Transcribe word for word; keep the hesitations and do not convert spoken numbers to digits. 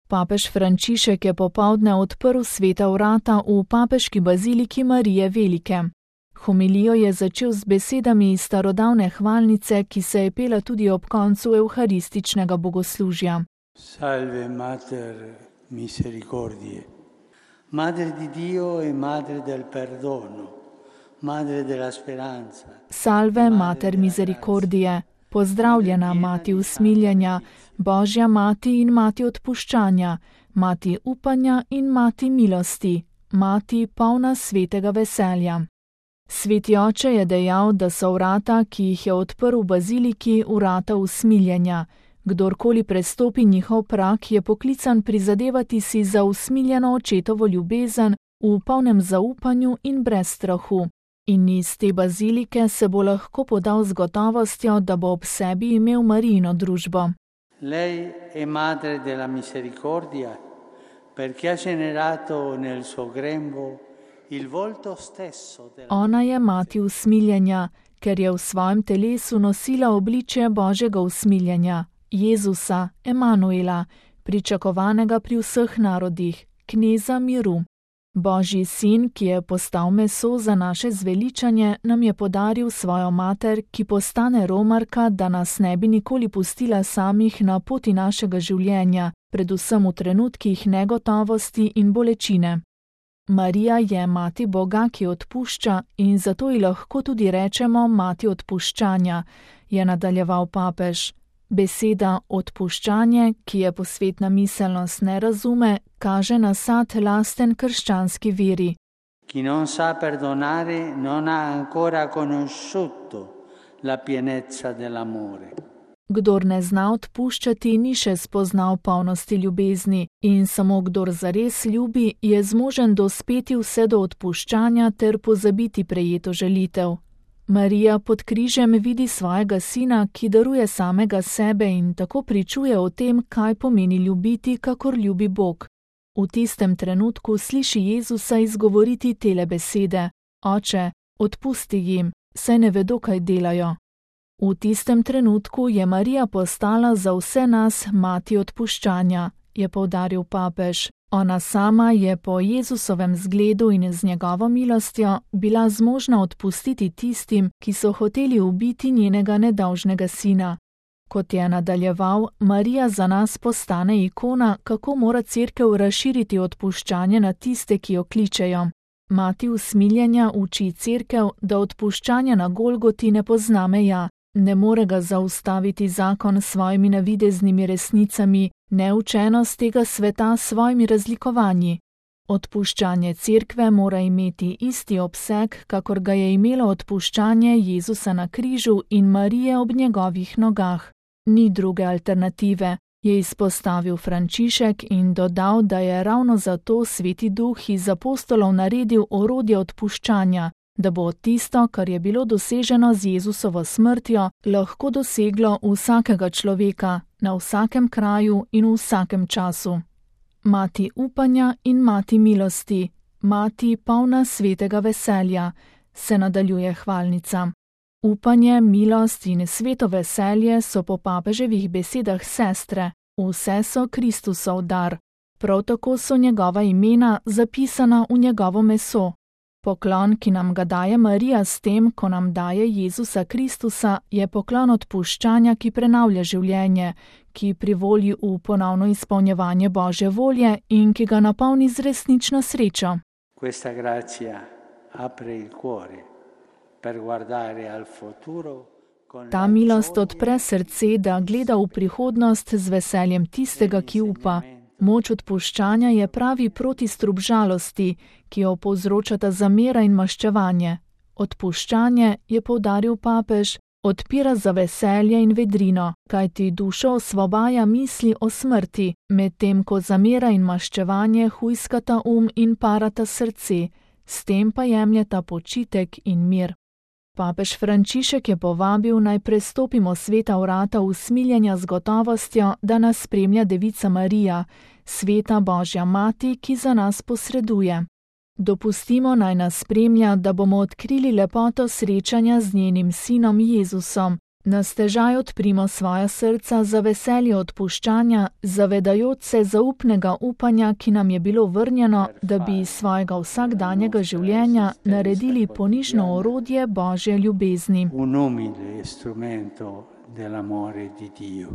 Papež Frančišek je popoldne odprl sveta vrata v papeški baziliki Marije Velike. Homilijo je začel z besedami iz starodavne hvalnice, ki se je pela tudi ob koncu evharističnega bogoslužja. Salve Mater Misericordie, Madre di Dio e Madre del Perdono, Madre della Speranza. Salve Mater Misericordie, pozdravljena Mati usmiljenja, Božja Mati in Mati odpuščanja, Mati upanja in Mati milosti, Mati polna svetega veselja. Sveti oče je dejal, da so vrata, ki jih je odprl v baziliki, vrata usmiljenja. Kdorkoli prestopi njihov prag, je poklican prizadevati si za usmiljeno očetovo ljubezen v polnem zaupanju in brez strahu. In iz te bazilike se bo lahko podal z gotovostjo, da bo ob sebi imel Marijino družbo. Lei è madre della misericordia, perché ha generato nel suo grembo il volto stesso della... Ona je mati usmiljenja, ker je v svojem telesu nosila obličje Božjega usmiljenja, Jezusa, Emanuela, pričakovanega pri vseh narodih, kneza miru. Božji sin, ki je postal meso za naše zveličanje, nam je podaril svojo mater, ki postane romarka, da nas ne bi nikoli pustila samih na poti našega življenja, predvsem v trenutkih negotovosti in bolečine. Marija je mati Boga, ki odpušča, in zato ji lahko tudi rečemo mati odpuščanja, je nadaljeval papež. Beseda odpuščanje, ki je posvetna miselnost ne razume, kaže na sad lasten krščanski veri. Chi non sa perdonare non ha ancora conosciuto la pienezza dell'amore. Kdor ne zna odpuščati, ni še spoznal polnosti ljubezni, in samo kdor zares ljubi, je zmožen dospeti vse do odpuščanja ter pozabiti prejeto želitev. Marija pod križem vidi svojega sina, ki daruje samega sebe in tako pričuje o tem, kaj pomeni ljubiti, kakor ljubi Bog. V tistem trenutku sliši Jezusa izgovoriti tele besede: Oče, odpusti jim, saj ne vedo, kaj delajo. V tistem trenutku je Marija postala za vse nas mati odpuščanja, je poudaril papež. Ona sama je po Jezusovem zgledu in z njegovo milostjo bila zmožna odpustiti tistim, ki so hoteli ubiti njenega nedolžnega sina. Kot je nadaljeval, Marija za nas postane ikona, kako mora cerkev razširiti odpuščanje na tiste, ki jo kličejo. Mati usmiljenja uči cerkev, da odpuščanja na Golgoti ne pozna meja. Ne more ga zaustaviti zakon s svojimi navideznimi resnicami, neučenost tega sveta s svojimi razlikovanji. Odpuščanje cerkve mora imeti isti obseg, kakor ga je imelo odpuščanje Jezusa na križu in Marije ob njegovih nogah. Ni druge alternative, je izpostavil Frančišek in dodal, da je ravno zato Sveti Duh iz apostolov naredil orodje odpuščanja, da bo tisto, kar je bilo doseženo z Jezusovo smrtjo, lahko doseglo vsakega človeka, na vsakem kraju in v vsakem času. Mati upanja in mati milosti, mati polna svetega veselja, se nadaljuje hvalnica. Upanje, milost in sveto veselje so po papeževih besedah sestre, vse so Kristusov dar. Prav tako so njegova imena zapisana v njegovo meso. Poklon, ki nam ga daje Marija s tem, ko nam daje Jezusa Kristusa, je poklon odpuščanja, ki prenavlja življenje, ki privoli v ponovno izpolnjevanje Božje volje in ki ga napolni z resnično srečo. Questa grazia apre il cuore per guardare al futuro. Ta milost odpre srce, da gleda v prihodnost z veseljem tistega, ki upa. Moč odpuščanja je pravi protistrup žalosti, ki jo povzročata zamera in maščevanje. Odpuščanje, je poudaril papež, odpira za veselje in vedrino, kajti dušo osvobaja misli o smrti, medtem ko zamera in maščevanje hujskata um in parata srce, s tem pa jemljeta počitek in mir. Papež Frančišek je povabil, naj prestopimo sveta vrata usmiljenja z gotovostjo, da nas spremlja Devica Marija, sveta Božja Mati, ki za nas posreduje. Dopustimo, naj nas spremlja, da bomo odkrili lepoto srečanja z njenim sinom Jezusom, Na stežaj odprimo svoja srca za veselje odpuščanja, zavedajoč se zaupnega upanja, ki nam je bilo vrnjeno, da bi iz svojega vsakdanjega življenja naredili ponižno orodje Božje ljubezni. Un umile strumento dell'amore di Dio.